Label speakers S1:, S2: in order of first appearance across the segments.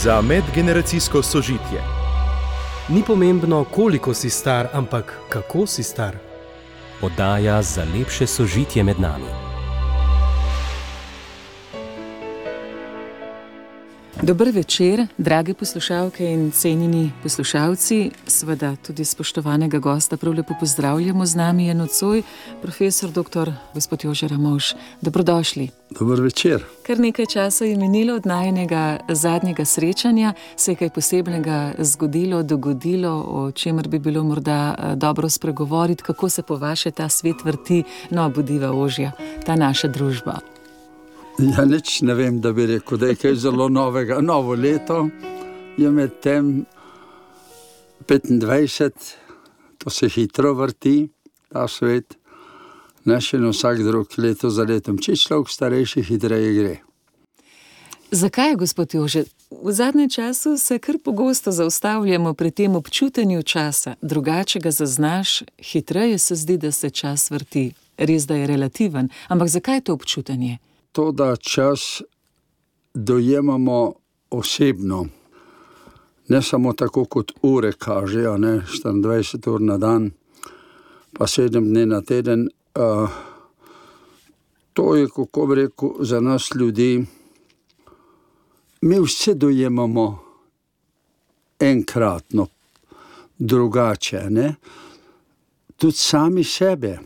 S1: za medgeneracijsko sožitje.
S2: Ni pomembno, koliko si star, ampak kako si star.
S3: Oddaja za lepše sožitje med nami.
S4: Dober večer, drage poslušalke in cenjeni poslušalci. Seveda tudi spoštovanega gosta prav lepo pozdravljamo. Z nami je nocoj profesor dr. gospod Jože Ramovš. Dobrodošli.
S5: Dober večer.
S4: Kar nekaj časa je minilo od najinega zadnjega srečanja. Se je kaj posebnega zgodilo, dogodilo, o čemer bi bilo morda dobro spregovoriti, kako se po vaše ta svet vrti, no, bodiva ožja, ta naša družba.
S5: Ja, nič ne vem, da bi rekel, da je kaj zelo novega. Novo leto je med tem 25, to se hitro vrti, ta svet. Ne še na vsak drug leto za letom. Če človek starejši, hitreje gre.
S4: Zakaj, gospod Jože? V zadnjem času se kar pogosto zaustavljamo pri tem občutenju časa. Drugače ga zaznaš, hitreje se zdi, da se čas vrti. Res, da je relativen, ampak zakaj to občutenje?
S5: To, da čas dojemamo osebno, ne samo tako kot ure kažejo, 24 ur na dan, pa 7 dni na teden. To je, kako bi rekel, za nas ljudi, mi vse dojemamo enkratno, drugače, tudi sami sebe.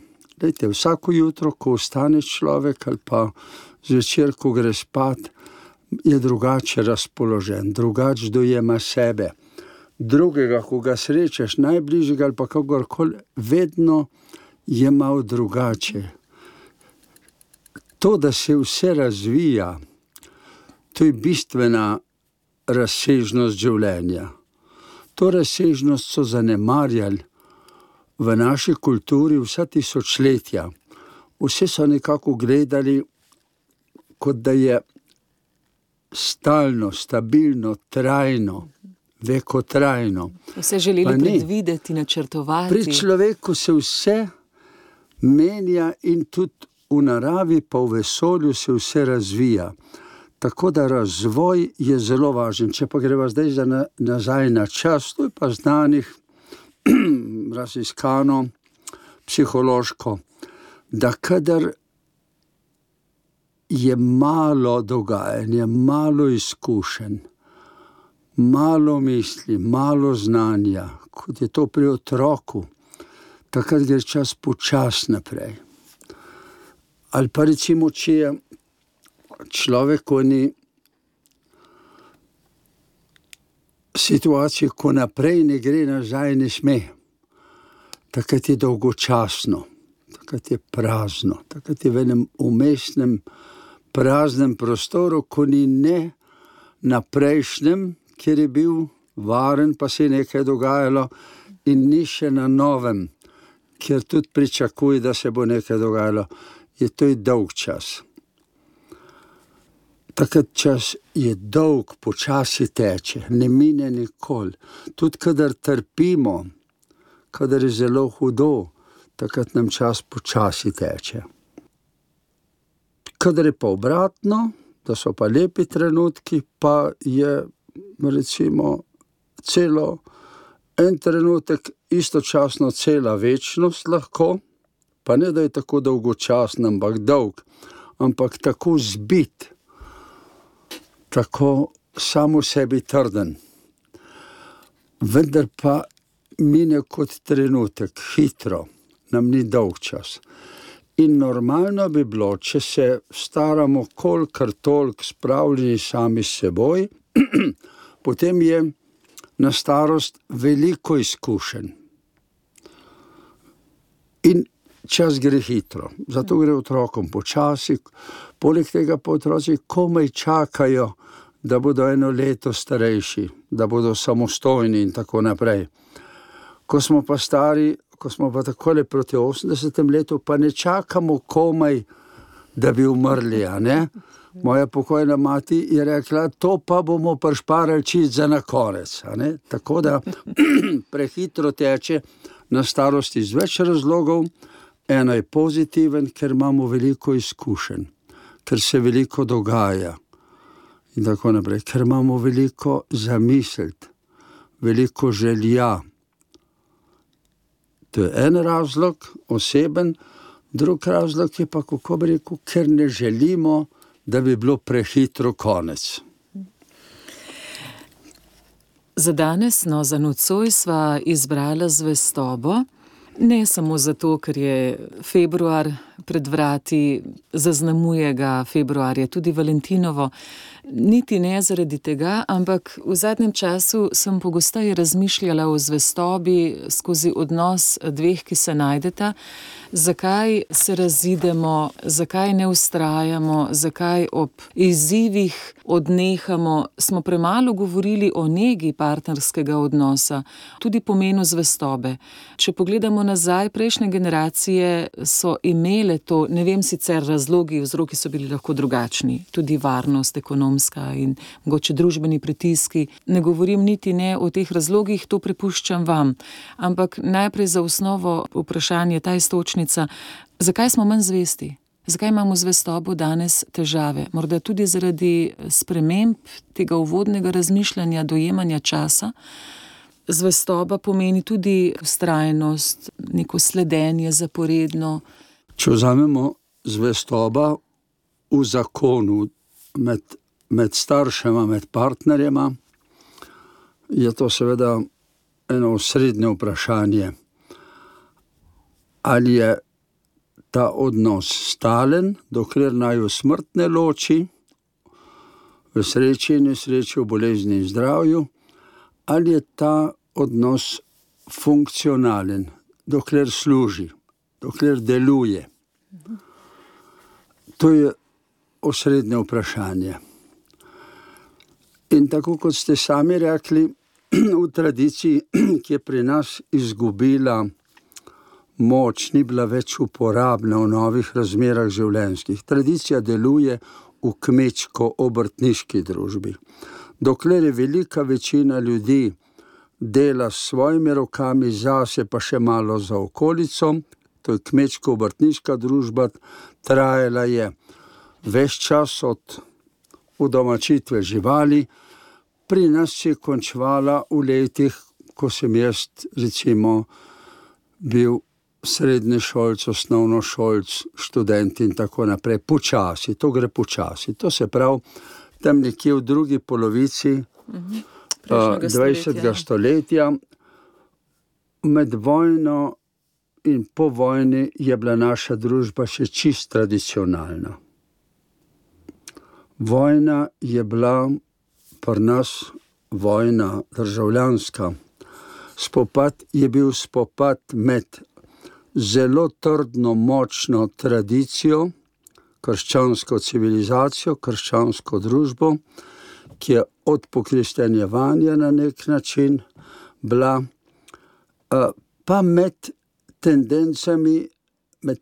S5: Lejte, vsako jutro, ko ostane človek ali pa zvečer, ko gre spat, je drugače razpoložen, drugače dojema sebe. Drugega, ko ga srečaš, najbližjega ali pa kakorkoli, vedno je malo drugače. To, da se vse razvija, to je bistvena razsežnost življenja. To razsežnost so zanemarjali v naši kulturi vsa tisočletja. Vse so nekako gledali, kot da je stalno, stabilno, trajno, vekotrajno.
S4: Vse želeli predvideti, načrtovati.
S5: Pri človeku se vse menja in tudi v naravi pa v vesolju se vse razvija. Tako da razvoj je zelo važen. Če pa greva zdaj nazaj na čas, to je pa znanih, raziskano, psihološko, da kadar je malo dogajanja, malo izkušenj, malo misli, malo znanja, kot je to pri otroku, takrat gre čas počasi naprej. Ali pa recimo, če je človek v eni situaciji, ko naprej ne gre, nazaj ne sme, takrat je dolgočasno, takrat je prazno, takrat je v enem umestnem praznem prostoru, ko ni ne na prejšnjem, kjer je bil varen, pa se je nekaj dogajalo, in ni še na novem, kjer tudi pričakuje, da se bo nekaj dogajalo. To je dolg čas. Takrat čas je dolg, počasi teče, ne mine nikoli. Tudi kadar trpimo, kadar je zelo hudo, takrat nam čas počasi teče. Kadar je pa obratno, da so pa lepi trenutki, pa je recimo celo en trenutek, istočasno cela večnost lahko, pa ne da je tako dolgočasen, ampak dolg, ampak tako zbit, tako samo sebi trden. Vendar pa mine kot trenutek, hitro, nam ni dolg čas. In normalno bi bilo, če se staramo kolikor toliko spravljeni sami s seboj, potem je na starost veliko izkušenj. In čas gre hitro, zato gre otrokom počasi, poleg tega pa otroci komaj čakajo, da bodo eno leto starejši, da bodo samostojni in tako naprej. Ko smo pa stari, ko smo pa takole proti 80. letu, pa ne čakamo komaj, da bi umrli, Moja pokojna mati je rekla, to pa bomo prišparali čisto za na konec, Tako da prehitro teče na starosti iz več razlogov. Eno je pozitiven, ker imamo veliko izkušenj, ker se veliko dogaja. in tako naprej, ker imamo veliko zamisliti, veliko želja. To je en razlog, oseben, drug razlog je pa, kako bi rekel, ker ne želimo, da bi bilo prehitro konec.
S4: Za danes, za nocoj sva izbrala zvestobo, ne samo zato, ker je februar pred vrati, zaznamuje ga februarja tudi Valentinovo, niti ne zaradi tega, ampak v zadnjem času sem pogosteje razmišljala o zvestobi skozi odnos dveh, ki se najdeta, zakaj se razidemo, zakaj ne vztrajamo, zakaj ob izzivih odnehamo. Smo premalo govorili o negi partnerskega odnosa, tudi pomenu zvestobe. Če pogledamo nazaj, prejšnje generacije so imele to, ne vem sicer razlogi, vzroki so bili lahko drugačni, tudi varnost, ekonomska in mogoče družbeni pritiski. Ne govorim niti ne o teh razlogih, to prepuščam vam. Ampak najprej za osnovo vprašanje, ta iztočnica, zakaj smo manj zvesti? Zakaj imamo zvestobo danes težave? Morda tudi zaradi sprememb tega uvodnega razmišljanja, dojemanja časa. Zvestoba pomeni tudi vztrajnost, neko sledenje zaporedno.
S5: Če vzamemo zvestoba v zakonu med staršema, med partnerjema, je to seveda eno osrednje vprašanje. Ali je ta odnos stalen, dokler naju smrt ne loči, v sreči in nesreči, v bolezni in zdravju, ali je ta odnos funkcionalen, dokler služi, dokler deluje. To je osrednje vprašanje. In tako kot ste sami rekli, v tradiciji, ki je pri nas izgubila moč, ni bila več uporabna v novih razmerah življenjskih. Tradicija deluje v kmečko-obrtniški družbi. Dokler je velika večina ljudi dela s svojimi rokami zase, pa še malo za okolico, to je kmečko-obrtniška družba, trajala je ves čas od udomačitve živali, pri nas se je končvala v letih, ko sem jaz recimo bil srednješolc, osnovnošolc, študent in tako naprej. Počasi, to gre počasi. To se pravi, tam nekje v drugi polovici 20. stoletja, med vojno in po vojni je bila naša družba še čist tradicionalna. Vojna je bila pri nas vojna državljanska. Spopad je bil spopad med zelo trdno, močno tradicijo, krščansko civilizacijo, krščansko družbo, ki je od pokristjanjevanja na nek način bila, pa med tendencami, med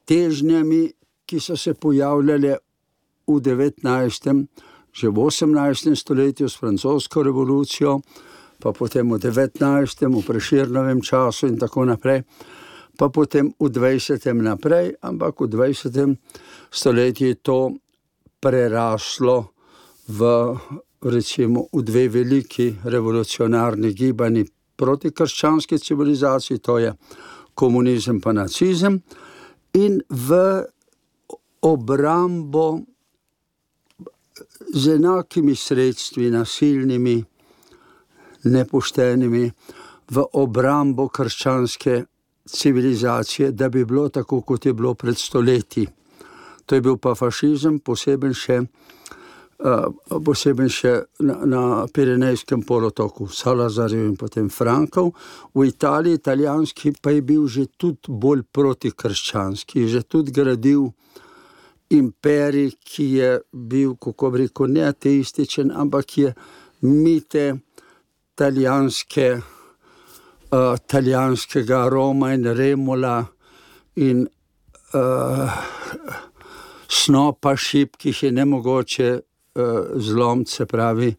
S5: težnjami, ki so se pojavljale v 19., že v 18. stoletju s francosko revolucijo, pa potem v 19., v Prešernovem času in tako naprej, pa potem v 20. naprej, ampak v 20. stoletju je to preraslo recimo v dve veliki revolucionarni gibanji proti krščanski civilizaciji, to je komunizem pa nacizem, in v obrambo z enakimi sredstvi, nasilnimi, nepoštenimi, v obrambo krščanske civilizacije, da bi bilo tako, kot je bilo pred stoletji. To je bil pa fašizem, poseben še na Pirenejskem polotoku, Salazarjev in potem Frankov. V Italiji, italijanski, pa je bil že tudi bolj protikrščanski, že tudi gradil imperij, ki je bil, kako bi rekel, ne ateističen, ampak je mite italijanskega Roma in Remula in snopa šibkih je nemogoče zlomiti, se pravi,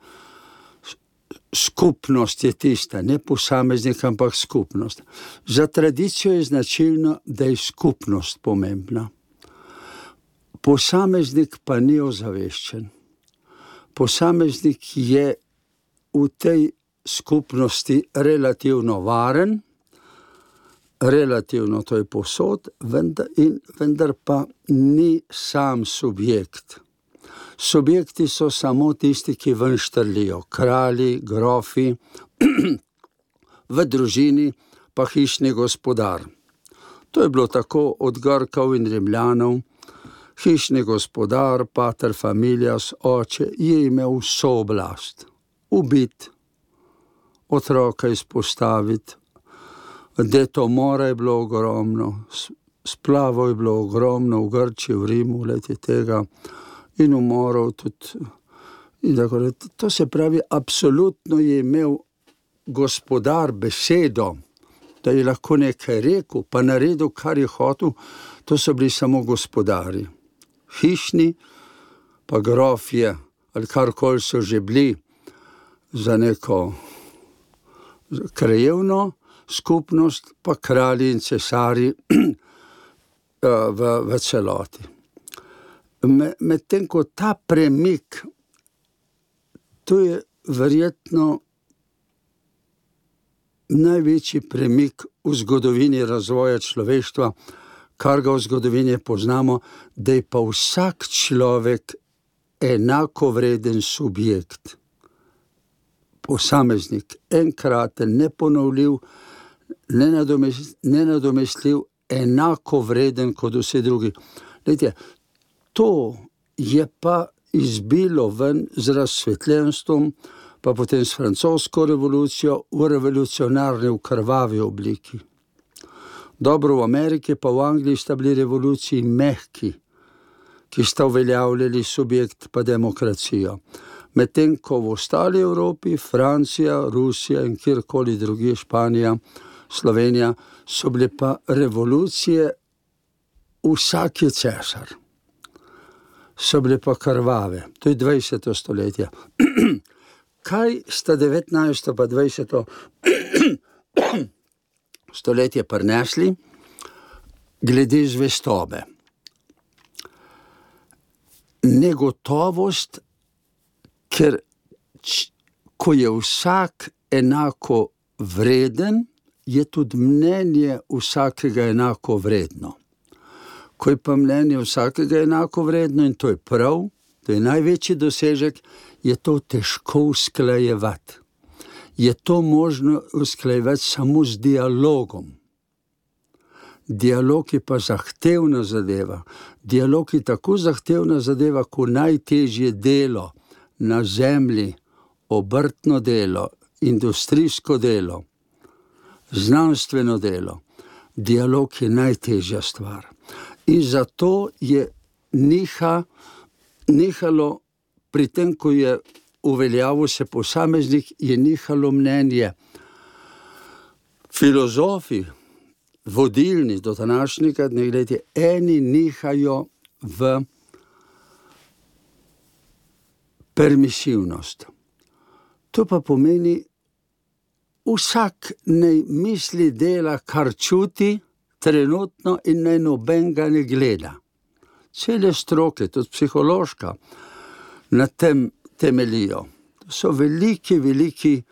S5: skupnost je tista, ne posameznik, ampak skupnost. Za tradicijo je značilno, da je skupnost pomembna. Posameznik pa ni ozaveščen. posameznik je v tej skupnosti relativno varen, relativno to je povsod, vendar pa ni sam subjekt. Subjekti so samo tisti, ki ven štrlijo, kralji, grofi, v družini pa hišni gospodar. To je bilo tako od Grkov in Rimljanov. Hišni gospodar, pater familias, oče, je imel vso oblast. Ubiti, otroka izpostaviti, detomora je bilo ogromno, splavov je bilo ogromno v Grčiji, v Rimu, leti tega, in umorov tudi. To se pravi, absolutno je imel gospodar besedo, da je lahko nekaj rekel, pa naredil, kar je hotel. To so bili samo gospodari. Hišni, pa grofje, ali karkoli so že bili za neko krajevno skupnost, pa kralji in cesari v celoti. Medtem ko ta premik, to je verjetno največji premik v zgodovini razvoja človeštva, kar ga v zgodovini poznamo, da je pa vsak človek enakovreden subjekt. Posameznik, enkraten, neponovljiv, nenadomestljiv, enakovreden kot vsi drugi. Glejte, to je pa izbilo ven z razsvetljenstvom, pa potem s francosko revolucijo v revolucionarni, v krvavi obliki. Dobro, v Ameriki pa v Angliji sta bili revoluciji mehki, ki sta uveljavljali subjekt pa demokracijo. Medtem ko v ostali Evropi, Francija, Rusija in kjerkoli drugi, Španija, Slovenija, so bile pa revolucije vsak je cesar. So bile pa krvave. To je 20. stoletje. Kaj sta 19. pa 20. stoletje prinesli glede zvestobe? Negotovost, ker ko je vsak enako vreden, je tudi mnenje vsakega enako vredno. Ko je pa mnenje vsakega enako vredno, in to je prav, to je največji dosežek, je to težko usklajevati. Je to možno usklajevati samo z dialogom. Dialog je pa zahtevna zadeva. Dialog je tako zahtevna zadeva, kot najtežje delo na zemlji, obrtno delo, industrijsko delo, znanstveno delo. Dialog je najtežja stvar. In zato je nihalo, pri tem, ko je uveljavil se posameznik, je nihalo mnenje. Filozofi, vodilni do današnjega dne, gledajte, eni nihajo v permisivnost. To pa pomeni, vsak naj misli, dela, kar čuti trenutno, in naj nobenega ne gleda. Cele stroke, tudi psihološka, na tem temelijo. To so veliki,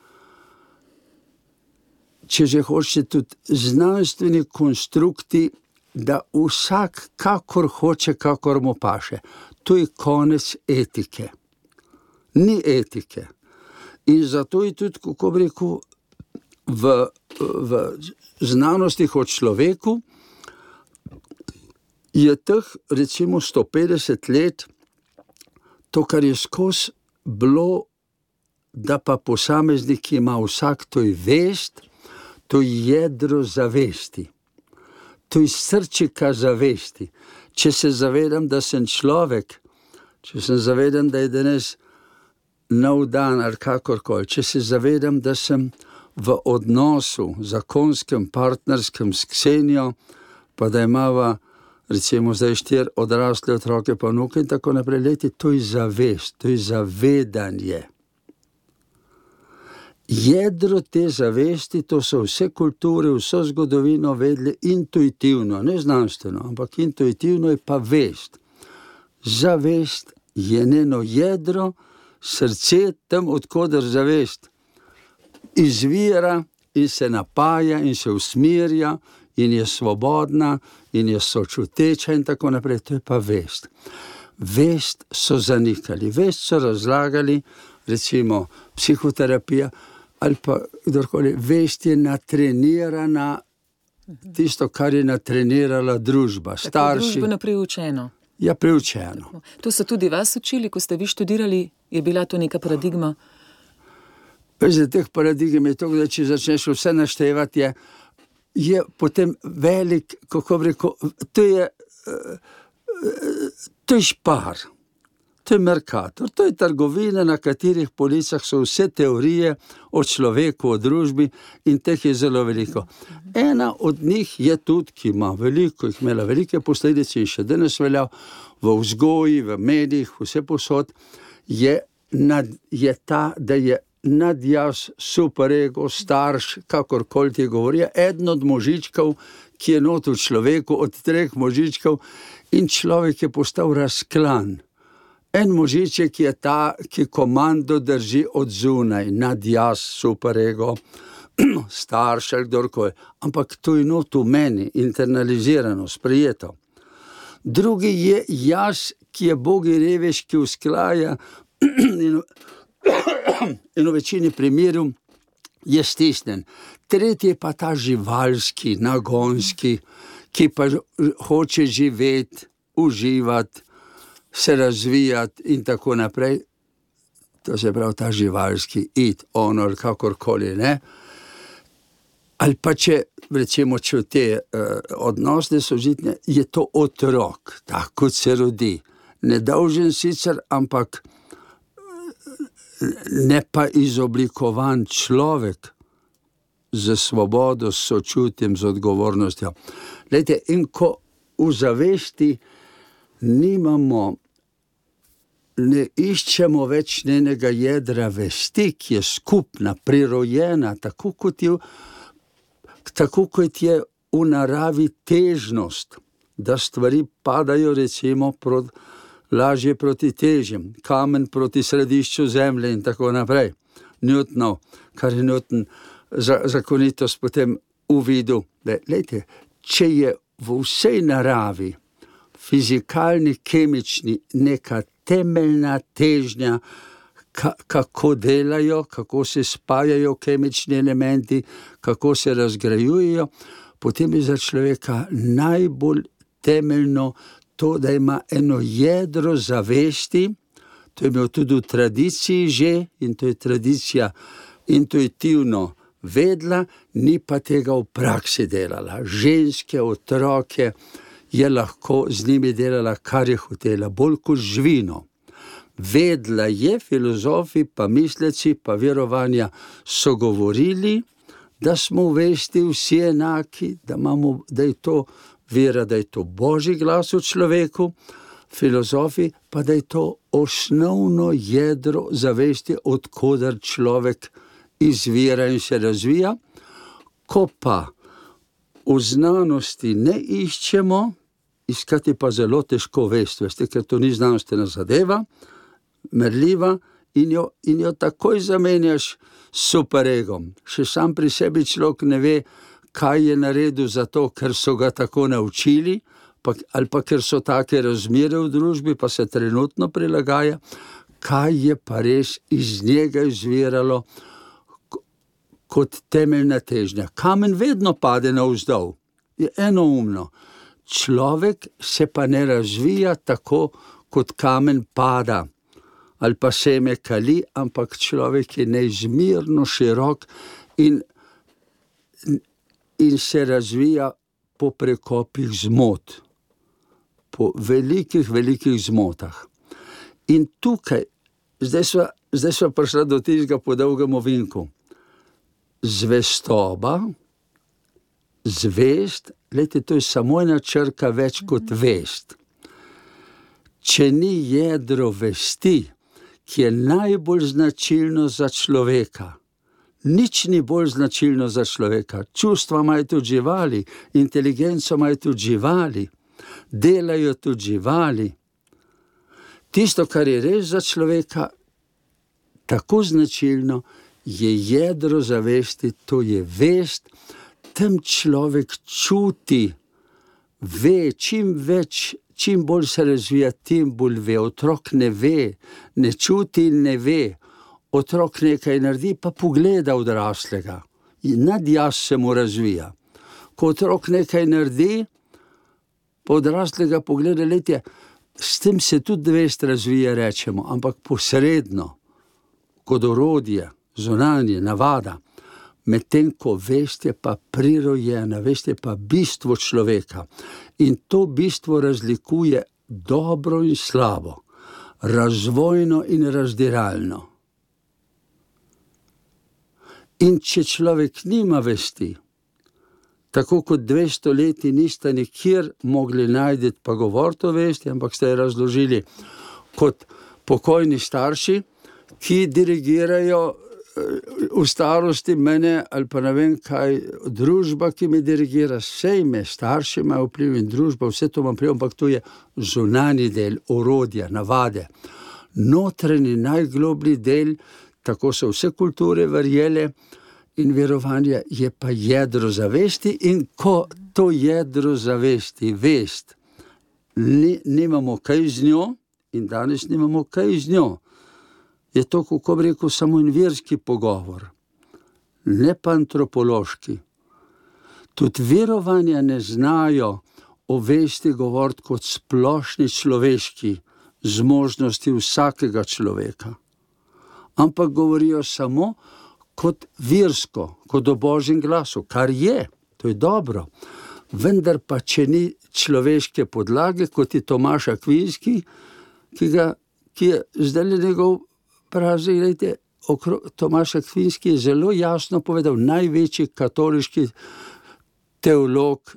S5: če že hočete, tudi znanstveni konstrukti, da vsak kakor hoče, kakor mu paše. To je konec etike. Ni etike. In zato je tudi, kako bi rekel, v znanostih o človeku je teh recimo 150 let, to, kar je skozi bilo, da pa posameznik ima vsak, to je vest, to je jedro zavesti, to je srčika zavesti. Če se zavedam, da sem človek, če se zavedam, da je danes nov dan ali kakorkoli, če se zavedam, da sem v odnosu zakonskem, partnerskem s Ksenijo, pa da imava recimo zdaj 4 odrasle otroke pa vnuke in tako naprej, leti, to je zavest, to je zavedanje. Jedro te zavesti, to so vse kulture, vso zgodovino vedle intuitivno, ne znanstveno, ampak intuitivno je pa vest. Zavest je njeno jedro, Srce tam, odkoder zavest izvira in se napaja in se usmerja in je svobodna in je sočuteča in tako naprej, to je pa vest. Vest so zanikali, vest so razlagali, recimo psihoterapija ali pa kdorkoli, vest je natrenirana, tisto, kar je natrenirala družba, starši.
S4: Tako družbeno priučeno.
S5: Ja, priučeno.
S4: To so tudi vas učili, ko ste vi študirali, je bila to neka paradigma?
S5: Za teh paradigem je to, da če začneš vse naštevati, je potem velik, kako bi rekel, to je Špar, to je Mercator, to je trgovina, na katerih policah so vse teorije o človeku, o družbi in teh je zelo veliko. Ena od njih je tudi, ki ima veliko, jih imela velike posledice in še danes velja v vzgoji, v medijih, vse posod, je ta, da je nadjaz, superego, starš, kakorkoli ti govori, eden od možičkov, ki je not v človeku, od 3 možičkov, in človek je postal razklan. En možiček je ta, ki komando drži od zunaj, nadjaz, superego, starš ali kdorkoli. Ampak to je not v meni, internalizirano, sprejeto. Drugi je jaz, ki je bogi revež, ki usklaja in v večini primerov je stisnen. Tretji je pa ta živalski, nagonski, ki pa hoče živeti, uživati, se razvijati in tako naprej. To se pravi ta živalski, honor, kakorkoli, ne? Ali pa če, recimo, če v te odnosne sožitne, je to otrok, tako kot se rodi. Nedolžen sicer, ampak ne pa izoblikovan človek z svobodo, s sočutjem, z odgovornostjo. Glejte, in ko v zavesti ne iščemo več njenega jedra vesti, ki je skupna, prirojena, tako kot je v naravi težnost, da stvari padajo recimo lažje proti težjem, kamen proti središču zemlje in tako naprej. Newtonov, kar je Newton zakonitost potem uvidel. Glejte, če je v vsej naravi, fizikalni, kemični, neka temeljna težnja, kako delajo, kako se spajajo kemični elementi, kako se razgrajujejo, potem je za človeka najbolj temeljno to, da ima eno jedro zavesti, to je imel tudi v tradiciji že, in to je tradicija intuitivno vedla, ni pa tega v praksi delala. Ženske, otroke je lahko z njimi delala, kar je hotela, bolj kot živino. Vedla je, filozofi, pa misleci, pa verovanja so govorili, da smo v vesti vsi enaki, da je to vera, da je to Božji glas v človeku, filozofi pa, da je to osnovno jedro zavesti, odkoder človek izvira in se razvija. Ko pa v znanosti ne iščemo, iskati pa zelo težko vest, veste, ker to ni znanstvena zadeva, merljiva, in jo takoj zamenjaš s superegom. Še sam pri sebi človek ne ve, kaj je naredil zato, ker so ga tako naučili, ali pa ker so take razmere v družbi, pa se trenutno prilagaja, kaj je pa res iz njega izviralo kot temeljna težnja. Kamen vedno pade navzdol, je enoumno. Človek se pa ne razvija tako, kot kamen pada, ali pa seme kali, ampak človek je neizmerno širok in se razvija po prekopih zmot, po velikih zmotah. In tukaj, zdaj sva prišla do tistega po dolgem ovinku. Zvestoba, zvest, glejte, to je samo ena črka več kot vest. Če ni jedro vesti, ki je najbolj značilno za človeka, nič ni bolj značilno za človeka. Čustva imajo tudi živali, inteligenco imajo tudi živali, delajo tudi živali. Tisto, kar je res za človeka, tako značilno, je jedro zavesti, to je vest, tam človek čuti, ve, čim bolj se razvija, tim bolj ve. Otrok ne ve, ne čuti in ne ve. Otrok nekaj naredi, pa pogleda odraslega. In nadjaz se mu razvija. Ko otrok nekaj naredi, pa odraslega pogleda, letje, s tem se tudi vest razvija, rečemo, ampak posredno, kot orodje, zunanje, navada. Medtem ko vest je pa prirojena, vest je pa bistvo človeka. In to bistvo razlikuje dobro in slabo, razvojno in razdiralno. In če človek nima vesti, tako kot 200 leti niste nikjer mogli najti pa govoriti o vesti, ampak ste jo razložili kot pokojni starši, ki dirigirajo v starosti mene, ali pa ne vem kaj, družba, ki me dirigira, vse ime, starši imajo vpliv in družba, vse to imam vpliv, ampak to je zunanji del, orodja, navade. Notranji, najgloblji del, tako so vse kulture verjele in verovanja, je pa jedro zavesti, in ko to jedro zavesti, vest, nimamo kaj z njo, in danes nimamo kaj z njo, je to, kako bi rekel, samo en verski pogovor, ne pa antropološki. Tudi verovanja ne znajo o vesti govoriti kot splošni človeški zmožnosti vsakega človeka, ampak govorijo samo kot versko, kot o Božjem glasu, kar je, to je dobro. Vendar pa, če ni človeške podlage, kot je Tomaž Akvinski, ki je zdaj njegov praznik, gledajte, Tomaž Akvinski je zelo jasno povedal, največji katoliški teolog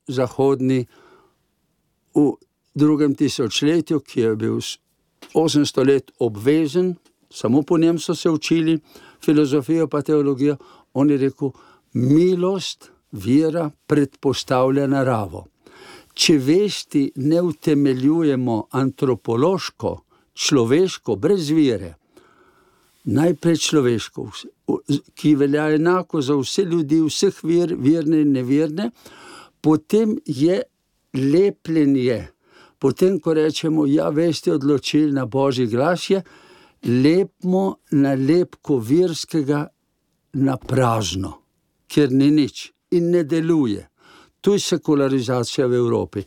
S5: zahodni v 2. tisočletju, ki je bil 800 let obvezen, samo po njem so se učili filozofijo pa teologijo, on je rekel, milost, vera predpostavlja naravo. Če vesti ne utemeljujemo antropološko, človeško, brez vere, najprej človeško, ki velja enako za vse ljudi, vseh ver, verne in neverne, potem je lepljenje. Potem, ko rečemo, ja, vest je odločilna, Božji glas je, lepimo nalepko verskega na prazno, ker ni nič in ne deluje. To je sekularizacija v Evropi.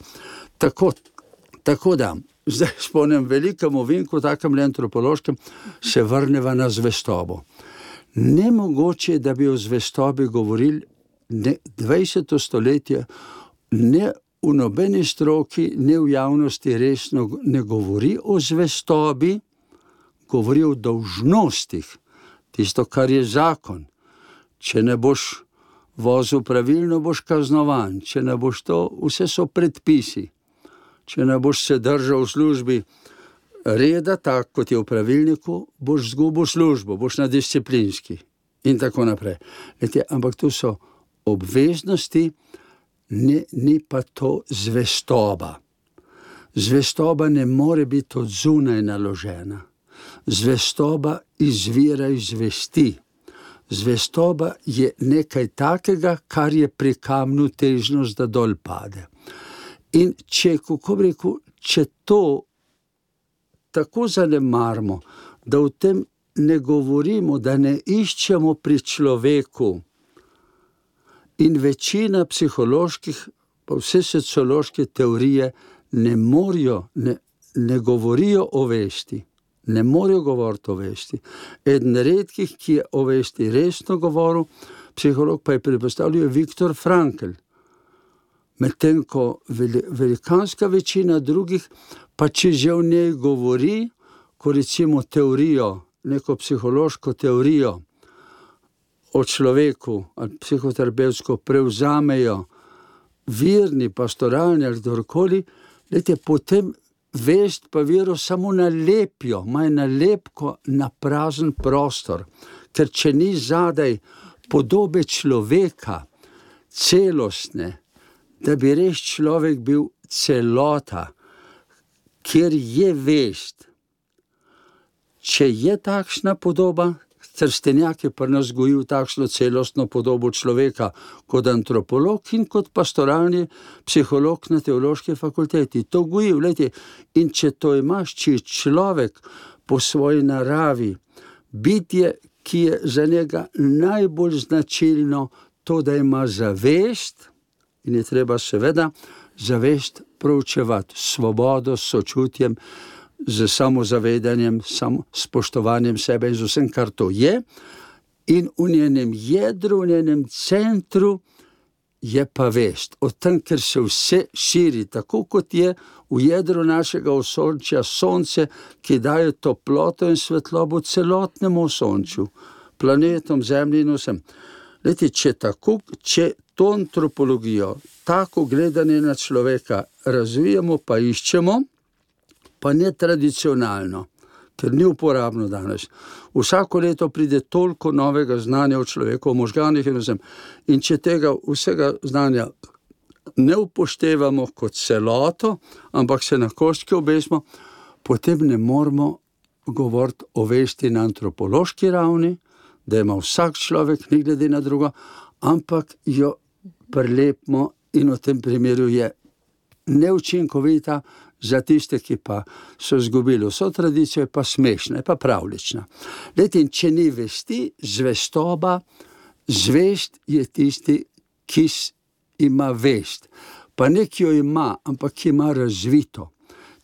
S5: Tako da, zdaj spomnim velikemu vinku, takem antropološkem, se vrneva na zvestobo. Nemogoče, da bi o zvestobi govorili 20. stoletje, ne v nobeni stroki, ne v javnosti resno ne govori o zvestobi, govori o dolžnostih, tisto, kar je zakon. Če ne boš vozil pravilno, boš kaznovan, če ne boš to, vse so predpisi. Če ne boš se držal v službi reda, tak kot je v pravilniku, boš zgubil službo, boš na disciplinski in tako naprej. Ampak to so obveznosti, ni pa to zvestoba. Zvestoba ne more biti od zunaj naložena. Zvestoba izvira iz vesti. Zvestoba je nekaj takega, kar je pri kamnu težnost, da dol pade. In če, kako bi rekel, če to tako zanemarimo, da o tem ne govorimo, da ne iščemo pri človeku, in večina psiholoških, pa vse sociološke teorije ne govorijo o vesti, ne morejo govoriti o vesti. Eden redkih, ki je o vesti resno govoril, psiholog pa je predpostavljal Viktor Frankl. Medtem ko velikanska večina drugih, pa če že v njej govori, ko recimo teorijo, neko psihološko teorijo o človeku ali psihoterapevtsko prevzamejo verni, pastoralni ali kdorkoli, potem vest pa vero samo nalepijo, imajo nalepko na prazen prostor, ker če ni zadaj podobe človeka, celostne, da bi res človek bil celota, kjer je vest. če je takšna podoba, Trstenjak je pri nas gojil takšno celostno podobo človeka kot antropolog in kot pastoralni psiholog na teološki fakulteti. To goji, glejte, in če to imaš, če je človek po svoji naravi bitje, ki je za njega najbolj značilno to, da ima zavest, in je treba seveda zavest proučevati, svobodo, s sočutjem, z samozavedanjem, spoštovanjem sebe in z vsem, kar to je, in v njenem jedru, v njenem centru je pa vest. O tem, ker se vse širi, tako kot je v jedru našega osončja sonce, ki daje toploto in svetlobo celotnemu osončju, planetom, zemlji in vsem. Leti, če to antropologijo, tako gledanje na človeka razvijamo, pa iščemo, pa ne tradicionalno, ker ni uporabno danes. Vsako leto pride toliko novega znanja o človeku, o možganih in vsem. In če tega vsega znanja ne upoštevamo kot celoto, ampak se na koščke obesimo, potem ne moramo govoriti o vesti na antropološki ravni, da ima vsak človek, ni glede na drugo, ampak jo prilepimo in v tem primeru je neučinkovita, za tiste, ki pa so izgubili vso tradicijo, je pa smešna, je pa pravlična. Lejte, in če ni vesti, zvestoba, zvest je tisti, ki ima vest. Pa ne, ki jo ima, ampak ki ima razvito.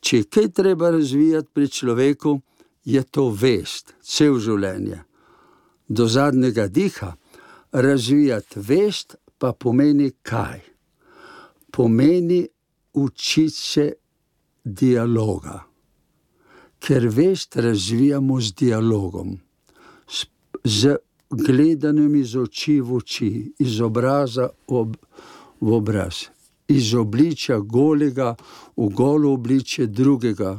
S5: Če je kaj treba razvijati pri človeku, je to vest, cel življenje. Do zadnjega diha razvijati vest pa pomeni kaj? Pomeni učiti se dialoga, ker vest razvijamo z dialogom, z gledanjem iz oči v oči, iz obraza v obraz, iz obličja golega v golo obličje drugega.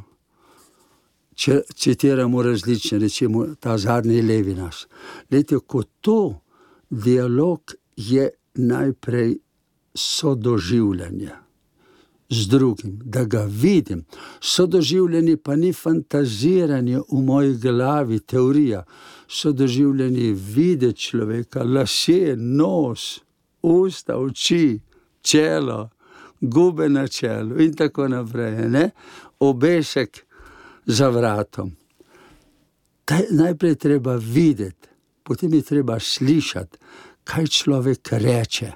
S5: Če citiramo različne, recimo ta zadnji levi nas. Lejte, ko to dialog je najprej sodoživljanje z drugim, da ga vidim. Sodoživljanje pa ni fantaziranje v moji glavi, teorija. Sodoživljanje je videti človeka, lasje, nos, usta, oči, čelo, gube na čelu in tako naprej, ne? Obešek za vratom. Najprej treba videti, potem je treba slišati, kaj človek reče.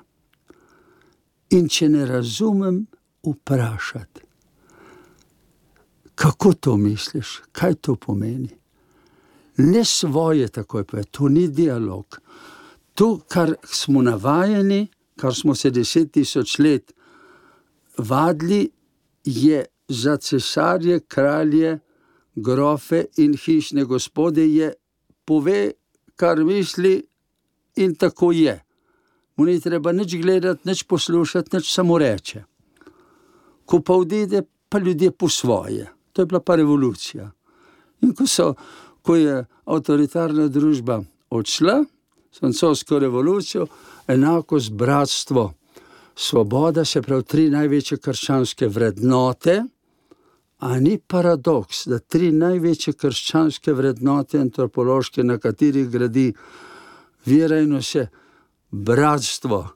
S5: In če ne razumem, vprašati. Kako to misliš? Kaj to pomeni? Ne svoje takoj pa, to ni dialog. To, kar smo navajeni, kar smo se 10.000 let vadili, je za cesarje, kralje, grofe in hišne gospode je pove, kar misli in tako je. Mu ni treba nič gledati, nič poslušati, nič samo reče. Ko pa odide, pa ljudje po svoje. To je bila pa revolucija. In ko je avtoritarna družba odšla, s francosko revolucijo, enakost, bratstvo, svoboda, se pravi 3 največje krščanske vrednote, a ni paradoks, da 3 največje krščanske vrednote antropološke, na katerih gradi vera in vse, bratstvo,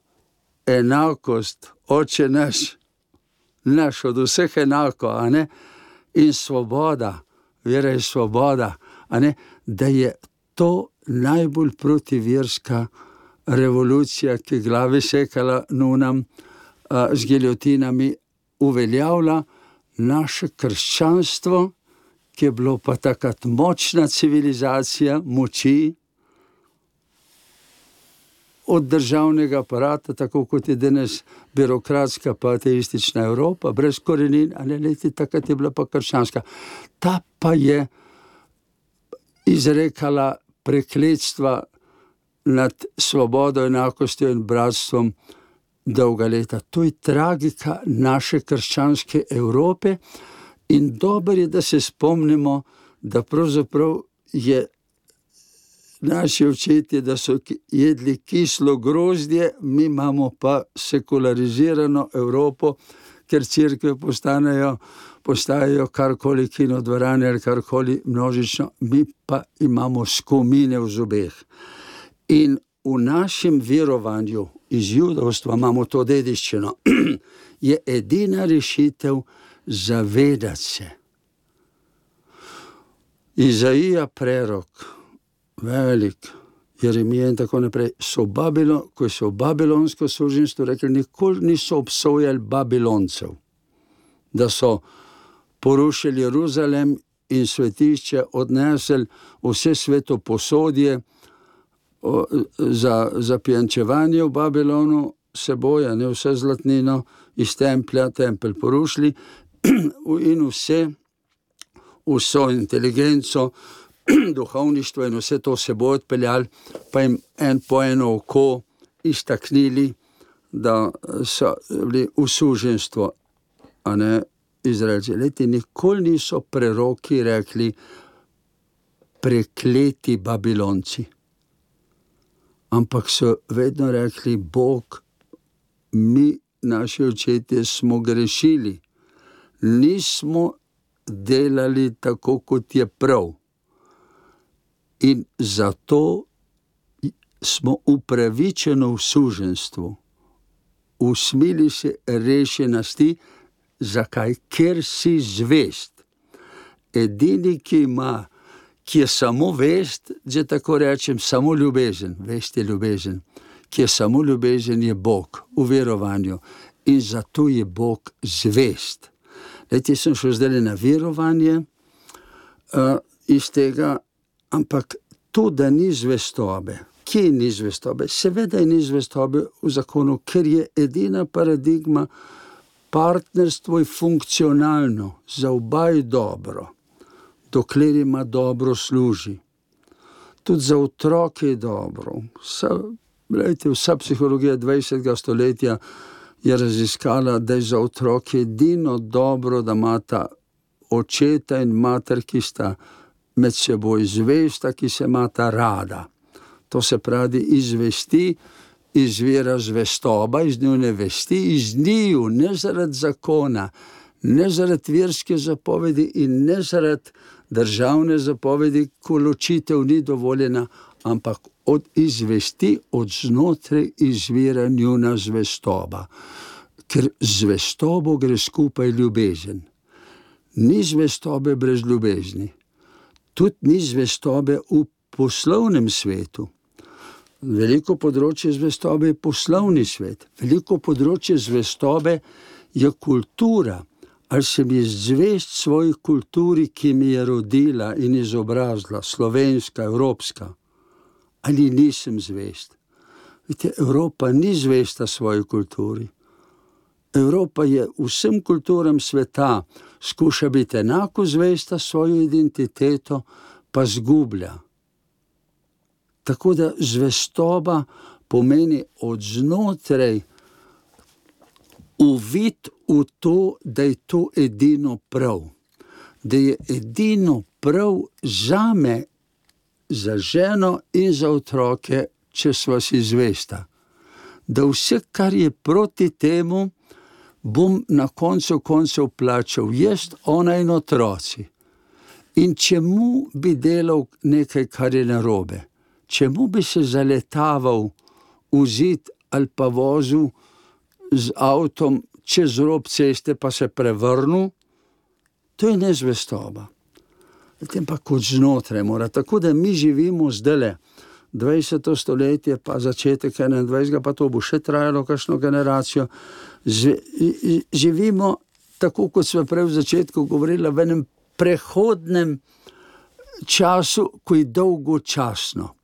S5: enakost, oče naš od vseh enako, a ne, in svoboda, vera je svoboda, a ne, da je to najbolj protiverska revolucija, ki glave sekala nunam z giljotinami, uveljavlja naše krščanstvo, ki je bilo pa takrat močna civilizacija, moči, od državnega aparata, tako kot je danes birokratska pa ateistična Evropa, brez korenin, ali leti, takrat je bila pa krščanska. Ta pa je izrekala prekletstva nad svobodo, enakostjo in bratstvom dolga leta. To je tragika naše krščanske Evrope in dobro je, da se spomnimo, da pravzaprav je naši očetje, da so jedli kislo grozdje, mi imamo pa sekularizirano Evropo, ker cerkve postanejo postajajo karkoli kinodvorane ali karkoli množično, mi pa imamo skomine v zobeh. In v našem verovanju iz judovstva imamo to dediščino, je edina rešitev zavedati se. Izaija prerok, velik, Jeremija in tako naprej, ko so v babilonsko suženjstvo rekli, nikoli niso obsojali Babiloncev, da so porušili Jeruzalem in svetišče, odnesli vse svetoposodje za pijančevanje v Babilonu, seboj, ne vse zlatnino iz templja, tempelj porušili in vso inteligenco, duhovništvo in vse to seboj odpeljali, pa jim po eno oko iztaknili, da so bili v suženjstvo, a ne Izraelci. Leti, nikoli niso preroki rekli prekleti Babilonci, ampak so vedno rekli, Bog, mi, naši očetje, smo grešili, nismo delali tako, kot je prav. In zato smo upravičeno v suženjstvu. Usmili se rešenosti. Zakaj? Ker si zvest. Edini, ki je samo vest, že tako rečem, samo ljubezen, vest je ljubezen, ki je samo ljubezen, je Bog v verovanju. In zato je Bog zvest. Leti, sem šel zdaj na verovanje iz tega, ampak to, da ni zvestobe. Kje ni zvestobe? Seveda ni zvestobe v zakonu, ker je edina paradigma, partnerstvo je funkcionalno, za oba je dobro, dokler ima dobro služi. Tudi za otroke je dobro. Vsa psihologija 20. stoletja je raziskala, da je za otroke edino dobro, da imata očeta in mater, ki sta med seboj zvesta, ki se imata rada. To se pravi, iz vesti izvira zvestoba, iz njune vesti, iz njiju, ne zaradi zakona, ne zaradi verske zapovedi in ne zaradi državne zapovedi, ko ločitev ni dovoljena, ampak od izvesti, od znotraj izvira njuna zvestoba. Ker zvestobo gre skupaj ljubezen. Ni zvestobe brez ljubezni. Tudi ni zvestobe v poslovnem svetu. Veliko področje zvestobe je poslovni svet. Veliko področje zvestobe je kultura. Ali sem jaz zvest svoji kulturi, ki mi je rodila in izobrazila, slovenska, evropska, ali nisem zvest. Vidite, Evropa ni zvesta svoji kulturi. Evropa je vsem kulturam sveta, skuša biti enako zvesta svojo identiteto, pa zgublja. Tako da zvestoba pomeni od znotraj uvid v to, da je to edino prav. Da je edino prav zame, za ženo in za otroke, če sva si zvesta. Da vse, kar je proti temu, bom na koncu koncev plačal jaz, ona in otroci. In čemu bi delal nekaj, kar je narobe? Čemu bi se zaletaval v zid ali pa vozil z avtom čez rob ceste pa se prevrnil? To je nezvestoba. Potem pa kot znotraj mora. Tako da mi živimo zdajle 20. stoletje, pa začetek 21. pa to bo še trajalo kakšno generacijo. Živimo tako, kot smo prej v začetku govorili, v enem prehodnem času, ko je dolgočasno.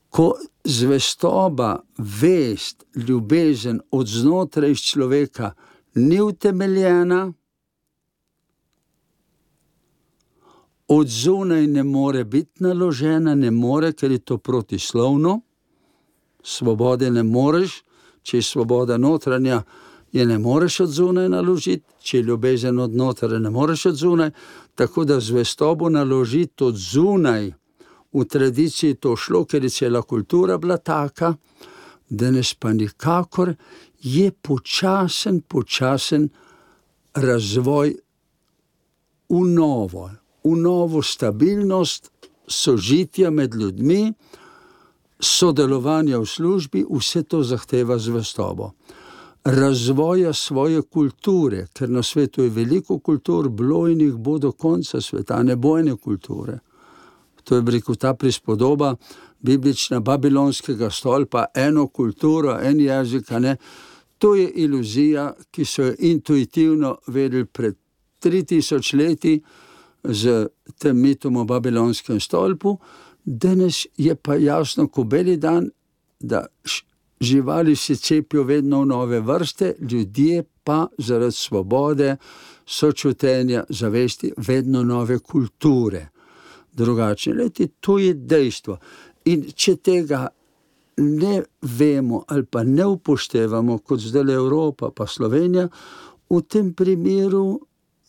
S5: Ko zvestoba, vest, ljubezen od znotraj človeka ni utemeljena, od zunaj ne more biti naložena, ne more, ker je to protislovno. Svobode ne moreš, če je svoboda notranja, je ne moreš od zunaj naložiti, če je ljubezen od notranja, ne moreš od zunaj, tako da zvestobo naložiti od zunaj. V tradiciji to šlo, ker je cela kultura bila taka, danes pa nikakor je počasen razvoj v novo stabilnost, sožitja med ljudmi, sodelovanja v službi, vse to zahteva zvestobo. Razvoja svoje kulture, ker na svetu je veliko kultur, bilo in jih bo do konca sveta, ne bo ene kulture. To je rekel ta prispodoba biblična babilonskega stolpa, eno kulturo, en jezik, ne. To je iluzija, ki so jo intuitivno vedeli pred 3000 leti z tem mitom o babilonskem stolpu. Danes je pa jasno, ko beli dan, da živali se cepijo vedno v nove vrste, ljudje pa zaradi svobode, sočutenja, zavesti, vedno nove kulture. Drugačne leti, to je dejstvo. In če tega ne vemo ali pa ne upoštevamo, kot zdaj Evropa pa Slovenija, v tem primeru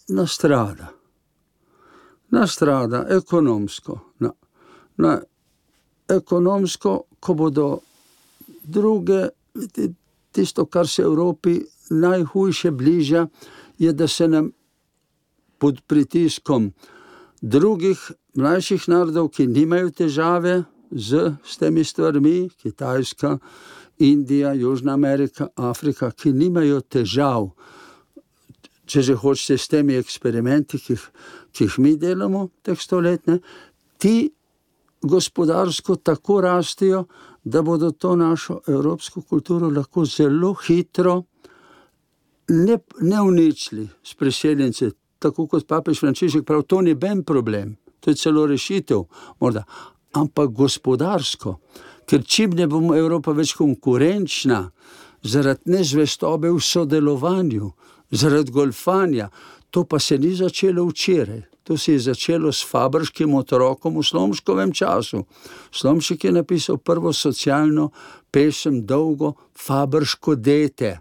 S5: nastrada. Nastrada ekonomsko. Ekonomsko, ko bodo druge, tisto, kar se Evropi najhujše bliža, je, da se nam pod pritiskom drugih mlajših narodov, ki nimajo težave s temi stvarmi, Kitajska, Indija, Južna Amerika, Afrika, ki nimajo težav, če že hočete, s temi eksperimenti, ki jih mi delamo, teh stoletne, ti gospodarsko tako rastijo, da bodo to našo evropsko kulturo lahko zelo hitro ne uničili s priseljenci, tako kot papež Frančišek pravi, to ni ben problem, to je celo rešitev, morda, ampak gospodarsko, ker čim ne bomo Evropa več konkurenčna, zaradi nezvestobe v sodelovanju, zaradi golfanja, to pa se ni začelo včeraj. To se je začelo s Fabrškim otrokom v Slomškovem času. Slomšek je napisal prvo socialno pesem, dolgo, Fabrško dete.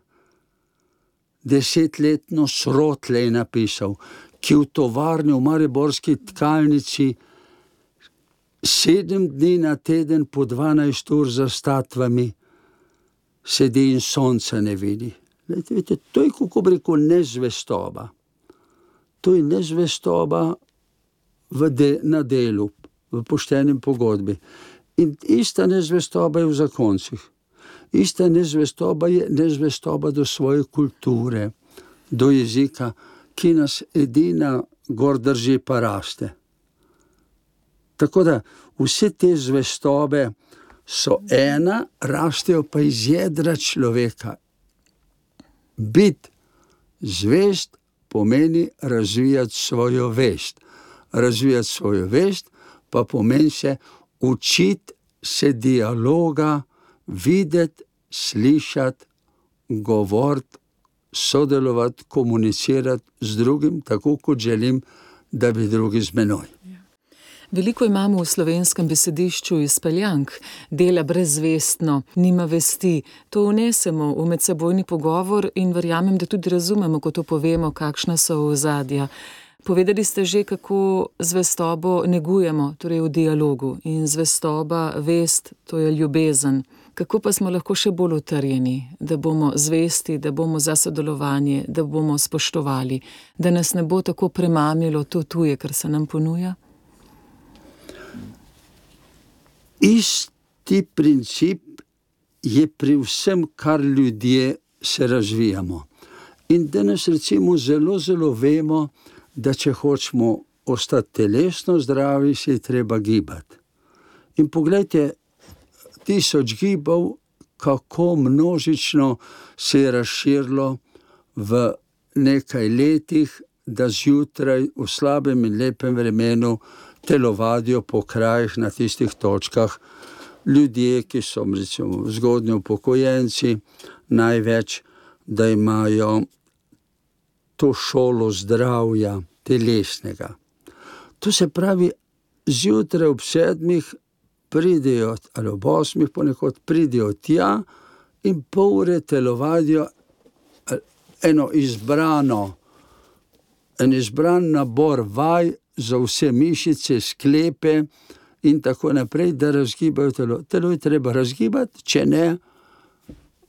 S5: 10-letno srotle je napisal, ki v tovarni v mariborski tkalnici 7 dni na teden po 12 ur za statvami sedi in sonca ne vidi. Vidite, to je, kako bi rekel, nezvestoba. To je nezvestoba na delu, v poštenem pogodbi. In ista nezvestoba je v zakoncih. Ista nezvestoba je nezvestoba do svoje kulture, do jezika, ki nas edina gor drži pa raste. Tako da vse te zvestobe so ena, rastejo pa iz jedra človeka. Biti zvest pomeni razvijati svojo vest. Razvijati svojo vest pa pomeni se učiti se dialoga, videti, slišati, govoriti, sodelovati, komunicirati z drugim, tako kot želim, da bi drugi z menoj.
S4: Veliko imamo v slovenskem besedišču izpeljank, dela brezvestno, nima vesti. To vnesemo v medsebojni pogovor in verjamem, da tudi razumemo, ko to povemo, kakšna so ozadja. Povedali ste že, kako zvestobo negujemo, torej v dialogu. In zvestoba, vest, to je ljubezen. Kako pa smo lahko še bolj utrjeni, da bomo zvesti, da bomo za sodelovanje, da bomo spoštovali, da nas ne bo tako premamilo to tuje, kar se nam ponuja?
S5: Isti princip je pri vsem, kar ljudje se razvijamo. In danes recimo zelo vemo, da če hočemo ostati telesno zdravi, se je treba gibati. In poglejte, 1000 gibov, kako množično se je razširilo v nekaj letih, da zjutraj v slabem in lepem vremenu telovadijo po krajih na tistih točkah ljudje, ki so recimo zgodnji upokojenci, največ, da imajo to šolo zdravja telesnega. To se pravi, zjutraj ob 7 pridejo, ali ob 8 ponekod pridejo tja in pol ure telovadijo en izbran nabor vaj za vse mišice, sklepe in tako naprej, da razgibajo telo. Telo je treba razgibati, če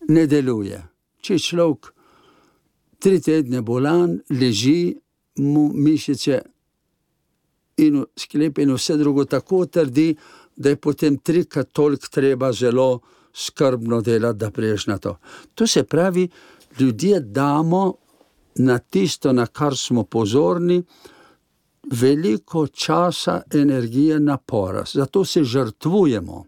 S5: ne deluje. Če človek 3 tedne bolan, leži, mu mišice in sklep in vse drugo tako trdi, da je potem 3-krat toliko treba zelo skrbno delati, da priješ na to. To se pravi, ljudje damo na tisto, na kar smo pozorni, veliko časa, energije, napora. Zato se žrtvujemo.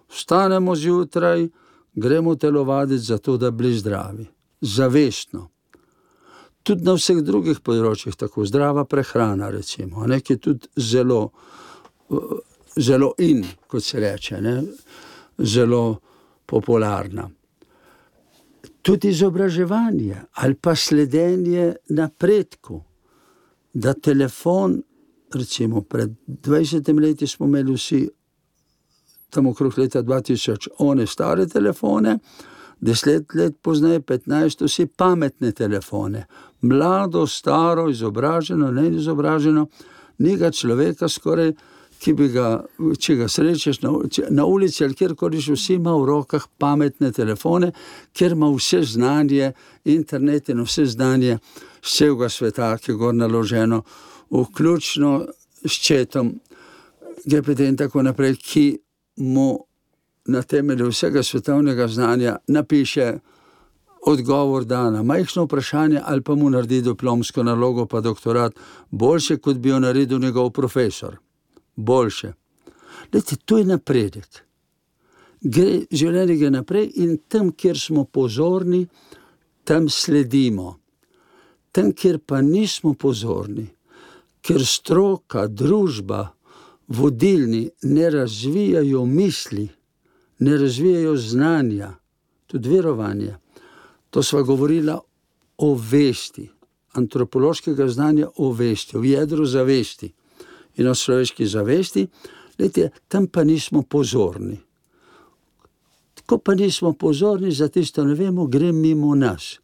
S5: Vstanemo zjutraj, gremo telovaditi zato, da bili zdravi. Zavestno. Tudi na vseh drugih področjih, tako zdrava prehrana, recimo, ki je tudi zelo, zelo in, kot se reče, ne? Zelo popularna. Tudi izobraževanje ali pa sledenje napredku, da telefon, recimo pred 20 leti smo imeli vsi tam okrog leta 2000 one stare telefone, 10 let pozneje, 15, vsi pametne telefone. Mlado, staro, izobraženo, neizobraženo, ni ga človeka skoraj, ki bi ga, če ga srečeš na ulici ali kjerkoli, vsi ima v rokah pametne telefone, ker ima vse znanje, internet in vse znanje z celega sveta, ki je gor naloženo, vključno s chatom, GPT in tako naprej, ki mu na temelju vsega svetovnega znanja napiše odgovor na majhno vprašanje ali pa mu naredi diplomsko nalogo pa doktorat boljše, kot bi jo naredil njegov profesor. Boljše. Glejte, to je napredek. Življenje gre naprej in tam, kjer smo pozorni, tam sledimo. Tam, kjer pa nismo pozorni, ker stroka, družba, vodilni ne razvijajo misli, ne razvijajo znanja, tudi verovanja. To sva govorila o vesti, antropološkega znanja o vesti, o jedru zavesti in o človeški zavesti. Glejte, tam pa nismo pozorni. Ko pa nismo pozorni, za tisto ne vemo, gre mimo nas.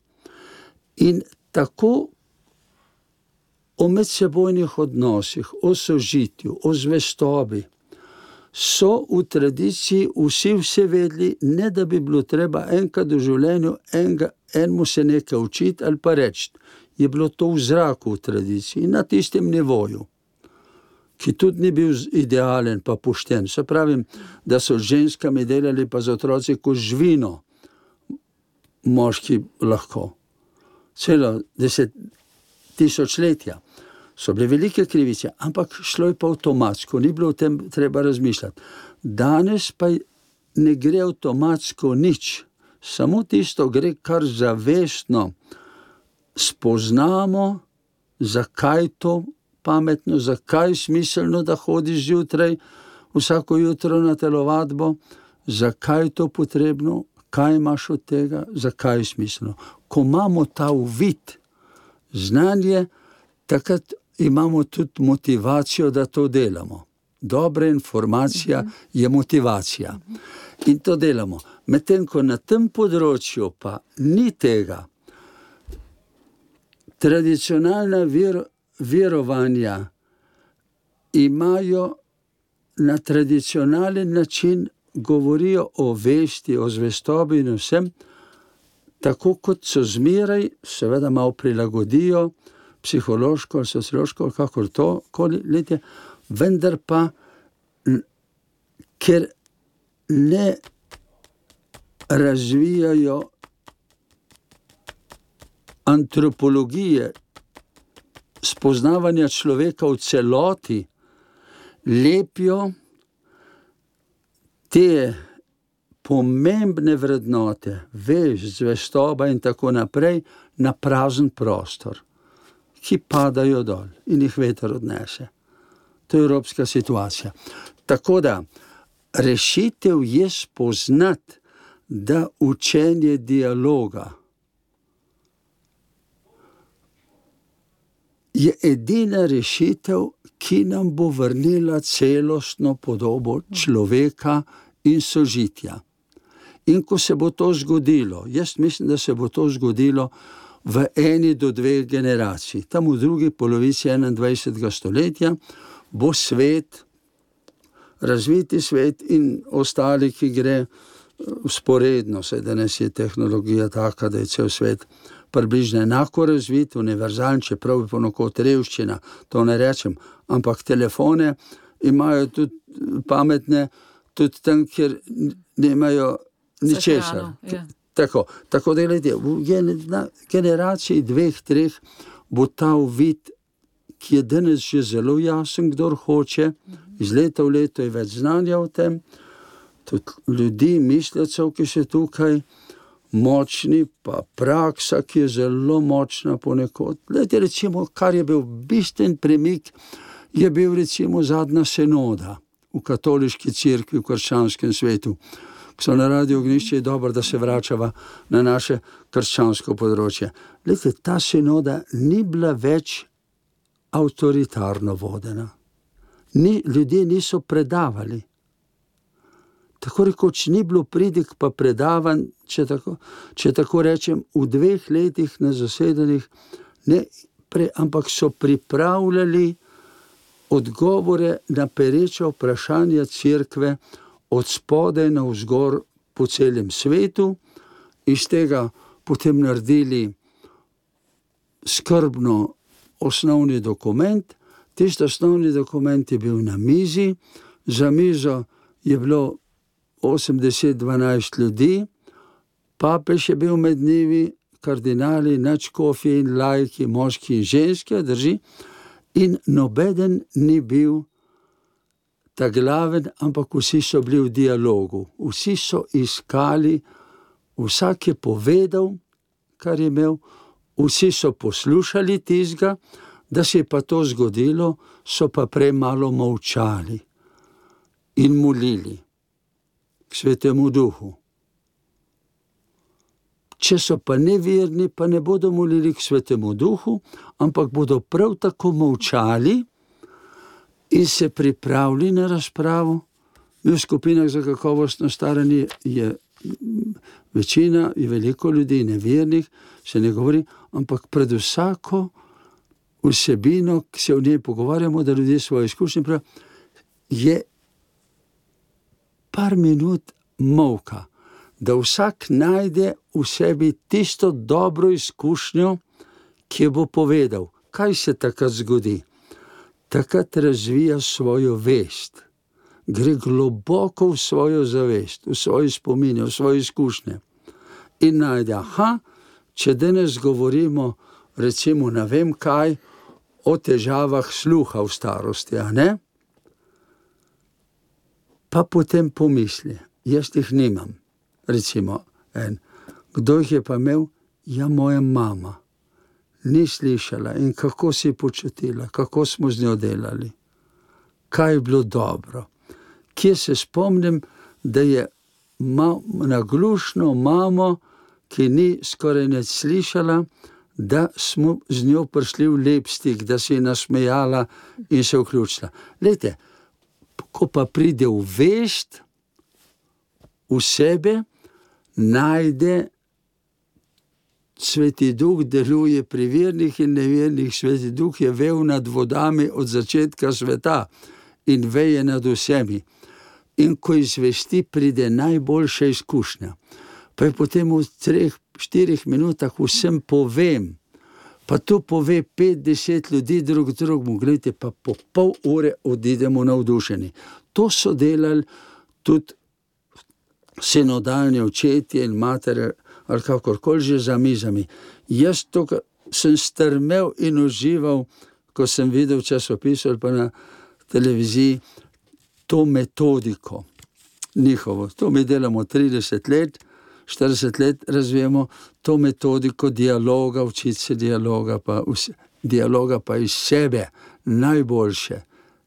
S5: In tako o medsebojnih odnosih, o sožitju, o zvestobi so v tradiciji vsi vse vedeli, ne da bi bilo treba enkrat v življenju enemu se nekaj učiti ali pa reči. Je bilo to v zraku v tradiciji, na tistem nivoju, ki tudi ni bil idealen pa pošten. Se pravim, da so z ženskami delali pa z otroci kot živino, moški lahko. Celo 10 tisočletja so bile velike krivice, ampak šlo je pa avtomatsko, ni bilo o tem treba razmišljati. Danes pa ne gre avtomatsko nič, samo tisto gre, kar zavestno spoznamo, zakaj to pametno, zakaj smiselno, da hodiš zjutraj, vsako jutro na telovadbo, zakaj to potrebno, kaj imaš od tega, zakaj je smiselno. Ko imamo ta uvid, znanje, takrat imamo tudi motivacijo, da to delamo. Dobra informacija je motivacija. In to delamo. Medtem ko na tem področju pa ni tega, tradicionalna verovanja imajo na tradicionalen način, govorijo o vesti, o zvestobi in vsem, tako kot so zmeraj, seveda malo prilagodijo, psihološko ali sociološko, kakor to, letje, vendar pa, ker ne razvijajo antropologije, spoznavanja človeka v celoti, lepijo te pomembne vrednote, veš, zvestoba in tako naprej, na prazen prostor, ki padajo dol in jih veter odnese. To je evropska situacija. Tako da, rešitev je spoznati, da učenje dialoga je edina rešitev, ki nam bo vrnila celostno podobo človeka in sožitja. In ko se bo to zgodilo, jaz mislim, da se bo to zgodilo v 1 do 2 generaciji, tam v drugi polovici 21. stoletja, bo svet, razviti svet in ostali, ki gre vzporedno, saj danes je tehnologija taka, da je cel svet približno enako razvit, univerzalen, čeprav je ponekod revščina, to ne rečem, ampak telefone imajo tudi pametne, tudi tam, kjer nimajo ničesar. Tako da gledajte, v generaciji 2-3 bo ta uvid, ki je danes že zelo jasen, kdor hoče, iz leta v leto je več znanja o tem, tudi ljudi, mislecev, ki so tukaj močni, pa praksa, ki je zelo močna ponekod. Gledajte, recimo, kar je bil bistven premik, je bil recimo zadnja sinoda v katoliški cerkvi, v krščanskem svetu. Ko so na Radiu Ognjišče, je dobro, da se vračava na naše krščansko področje. Gledajte, ta sinoda ni bila več avtoritarno vodena. Ljudje niso predavali. Tako rekoč ni bilo pridig pa predavanj, če tako rečem, v 2 letih na zasedanjih, ampak so pripravljali odgovore na pereča vprašanja cerkve od spodaj navzgor po celem svetu, iz tega potem naredili skrbno osnovni dokument. Tisti osnovni dokument je bil na mizi, za mizo je bilo 80-12 ljudi, papež je bil med njimi, kardinali, nadškofi in laiki, moški in ženske, drži, in nobeden ni bil ta glaven, ampak vsi so bili v dialogu, vsi so iskali, vsak je povedal, kar je imel, vsi so poslušali tistega, da se je pa to zgodilo, so pa prej malo molčali in molili k Svetemu Duhu. Če so pa neverni, pa ne bodo molili k Svetemu Duhu, ampak bodo prav tako molčali in se pripravili na razpravo. V skupinah za kakovostno staranje je večina, je veliko ljudi nevernih, se ne govori, ampak pred vsako vsebino, ki se v njej pogovarjamo, da ljudje svoje izkušnje prav, je par minut molka, da vsak najde v sebi tisto dobro izkušnjo, ki jo bo povedal. Kaj se takrat zgodi? Takrat razvija svojo vest, gre globoko v svojo zavest, v svoje spomine, v svoje izkušnje in najde, če danes govorimo, recimo, ne vem kaj, o težavah sluha v starosti, a ne? Pa potem pomisli, jaz jih nimam, recimo, kdo jih je pa imel? Ja, moja mama. Ni slišala in kako si počutila, kako smo z njo delali, kaj je bilo dobro. Kje se spomnim, da je naglušno mamo, ki ni skoraj nič slišala, da smo z njo prišli v lep stik, da se je nasmejala in se vključila. Glejte, ko pa pride v vest, v sebe, najde Sveti Duh, deluje pri vernih in nevernih. Sveti Duh je vel nad vodami od začetka sveta in veje nad vsemi. In ko izvesti, pride najboljša izkušnja. Pa je potem v 3-4 minutah vsem povem, pa to pove 5-10 ljudi drugemu, gledajte, pa po pol ure odidemo navdušeni. To so delali tudi sinodalni očetje in matere, ali kakorkoli že za mizami. Jaz to sem strmel in užival, ko sem videl časopis ali pa na televiziji, to metodiko njihovo. To mi delamo 30 let, 40 let razvijemo to metodiko dialoga, učiti se dialoga pa iz sebe najboljše.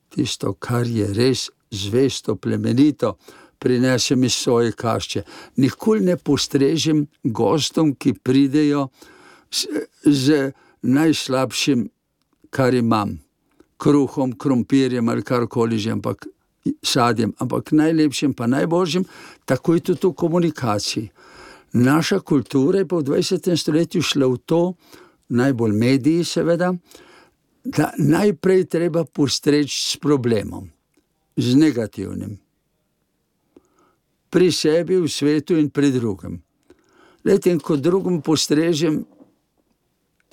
S5: Tisto, kar je res zvesto, plemenito, prinesem iz svoje kašče. Nikoli ne postrežem gostom, ki pridejo z najslabšim, kar imam. Kruhom, krompirjem ali karkoli že, ampak sadjem, ampak najlepšim pa najboljšim, tako je tudi v komunikaciji. Naša kultura je pa v 20. stoletju šla v to, najbolj mediji seveda, da najprej treba postreči s problemom, z negativnim. Pri sebi, v svetu in pri drugem. Lejte, in ko drugem postrežem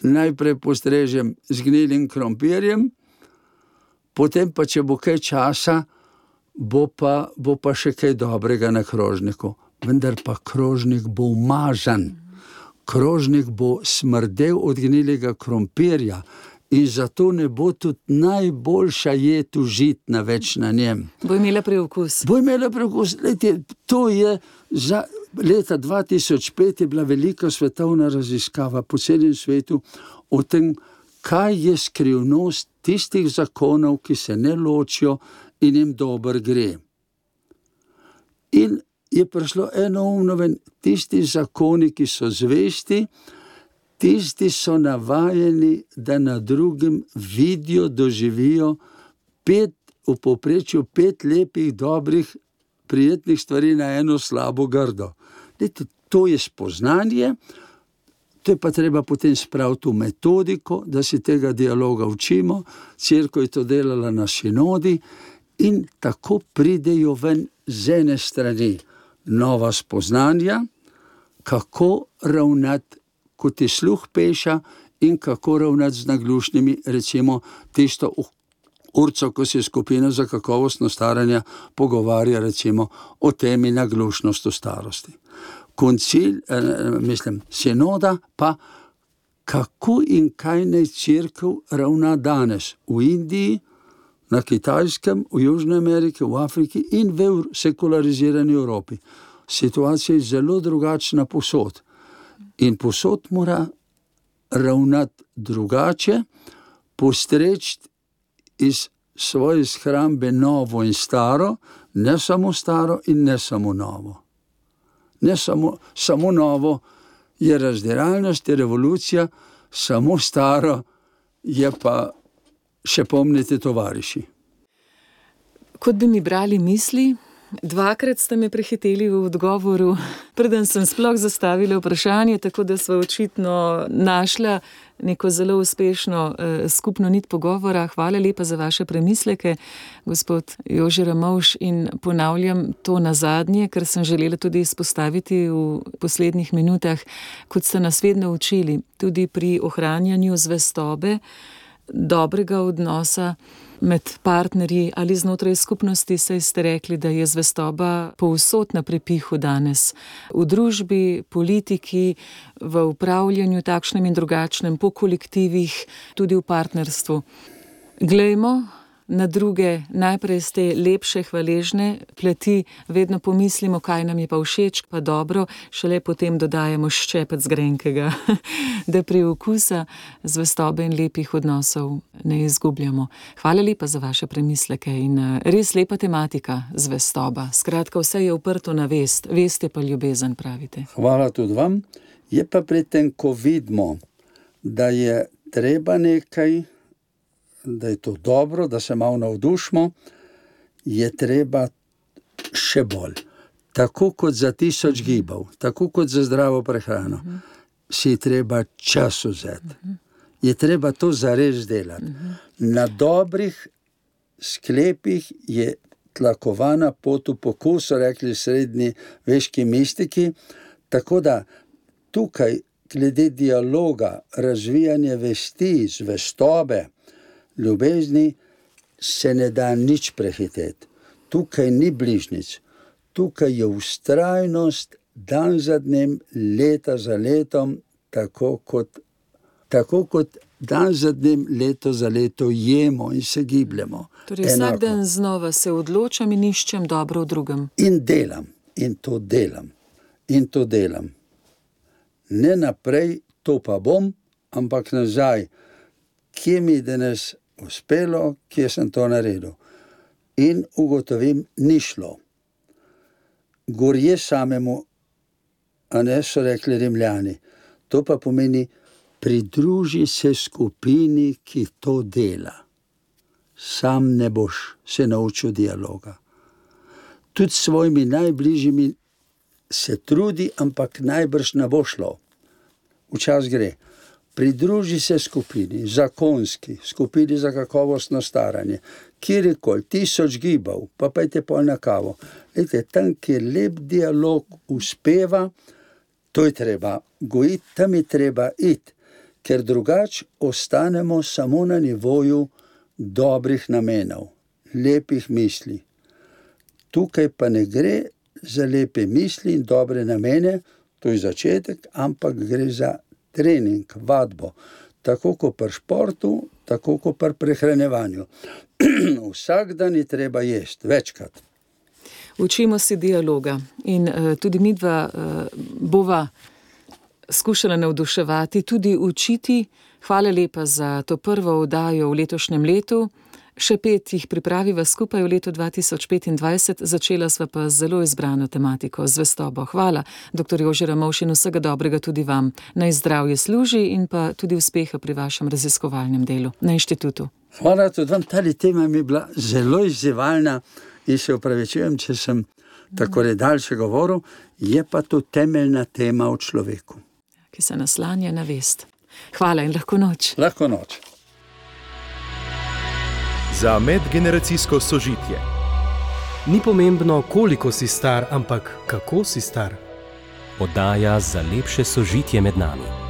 S5: najprej postrežem z gnilim krompirjem, potem pa, če bo kaj časa, bo pa še kaj dobrega na krožniku. Vendar pa krožnik bo umazan. Krožnik bo smrdel od gnilega krompirja in zato ne bo tudi najboljša jed užitna več na njem.
S4: Bo imela preokus.
S5: Lejte, to je za leta 2005 je bila velika svetovna raziskava po celem svetu o tem, kaj je skrivnost tistih zakonov, ki se ne ločijo in jim dobro gre. In je prišlo enoumno ven, tisti zakoni, ki so zvesti, tisti so navajeni, da na drugem vidijo, doživijo v povprečju 5 lepih, dobrih, prijetnih stvari na eno slabo grdo. Lejte, to je spoznanje, to je pa treba potem spraviti v metodiko, da si tega dialoga učimo, cerkev je to delala na sinodi in tako pridejo ven z ene strani nova spoznanja, kako ravnati, ko ti sluh peša in kako ravnati z naglušnimi, recimo tisto urco, ko se skupina za kakovostno staranje pogovarja recimo o temi naglušnost v starosti. Koncil, sinoda pa, kako in kaj naj cerkev ravna danes v Indiji, na Kitajskem, v Južni Ameriki, v Afriki in v sekularizirani Evropi. Situacija je zelo drugačna posod. In posod mora ravnati drugače, postreči iz svoje shrambe novo in staro, ne samo staro in ne samo novo. Ne samo novo je razdiralnost, je revolucija, samo staro je pa še pomnite tovariši.
S4: Kot bi mi brali misli, 2-krat ste me prehiteli v odgovoru, preden sem sploh zastavila vprašanje, tako da sva očitno našla neko zelo uspešno skupno nit pogovora. Hvala lepa za vaše premisleke, gospod Jože Ramovš, in ponavljam to nazadnje, ker sem želela tudi izpostaviti v poslednjih minutah, kot ste nas vedno učili, tudi pri ohranjanju zvestobe, dobrega odnosa med partnerji ali znotraj skupnosti, saj ste rekli, da je zvestoba povsod na prepihu danes. V družbi, politiki, v upravljanju takšnem in drugačnem, po kolektivih, tudi v partnerstvu. Glejmo na druge, najprej ste lepše, hvaležne plati, vedno pomislimo, kaj nam je pa všeč, pa dobro, šele potem dodajamo ščepec grenkega, da pri okusa zvestobe in lepih odnosov ne izgubljamo. Hvala lepa za vaše premisleke in res lepa tematika, zvestoba. Skratka, vse je uprto na vest, vest je pa ljubezen, pravite.
S5: Hvala tudi vam. Je pa pri tem, ko vidimo, da je treba nekaj, da je to dobro, da se malo navdušimo, je treba še bolj. Tako kot za 1000 gibov, tako kot za zdravo prehrano, si treba čas vzeti. Je treba to zares delati. Na dobrih sklepih je tlakovana pot v pokus, so rekli srednji veški mistiki, tako da tukaj glede dialoga, razvijanje vesti, zvestobe, ljubezni se ne da nič prehiteti. Tukaj ni bližnjic. Tukaj je vztrajnost dan za dnem, leta za letom, tako kot dan za dnem, leto za leto jemo in se gibljemo.
S4: Torej vsak dan znova se odločam in iščem dobro v drugem.
S5: In delam. In to delam. Ne naprej, to pa bom, ampak nazaj. Kje mi danes uspelo, kje sem to naredil. In ugotovim, ni šlo. Gorje samemu, a ne, so rekli Rimljani. To pa pomeni, pridruži se skupini, ki to dela. Sam ne boš se naučil dialoga. Tudi s svojimi najbližjimi se trudi, ampak najbrž ne bo šlo. Včasih gre. Pridruži se skupini, zakonski, skupini za kakovostno staranje, kjerkoli, 1000 gibov, pa pojte pol na kavo. Lejte, tam, kjer lep dialog uspeva, to je treba gojiti, tam je treba iti, ker drugače ostanemo samo na nivoju dobrih namenov, lepih misli. Tukaj pa ne gre za lepe misli in dobre namene, to je začetek, ampak gre za trening, vadbo. Tako kot pri športu, tako kot pri prehranjevanju. Vsak dan je treba jesti, večkrat.
S4: Učimo se dialoga in tudi midva bova skušala navduševati, tudi učiti. Hvala lepa za to prvo oddajo v letošnjem letu. Še 5 jih pripraviva skupaj v letu 2025, začela sva pa z zelo izbrano tematiko, zvestobo. Hvala, dr. Jože Ramovš, in vsega dobrega tudi vam. Naj zdravje služi in pa tudi uspeha pri vašem raziskovalnem delu na inštitutu.
S5: Hvala tudi vam, ta tema mi je bila zelo izzivalna in se opravičujem, če sem tako daljše govoril, je pa to temeljna tema o človeku.
S4: Ki se naslanja na vest. Hvala in lahko noč.
S5: Lahko noč.
S1: Za medgeneracijsko sožitje.
S2: Ni pomembno, koliko si star, ampak kako si star.
S3: Oddaja za lepše sožitje med nami.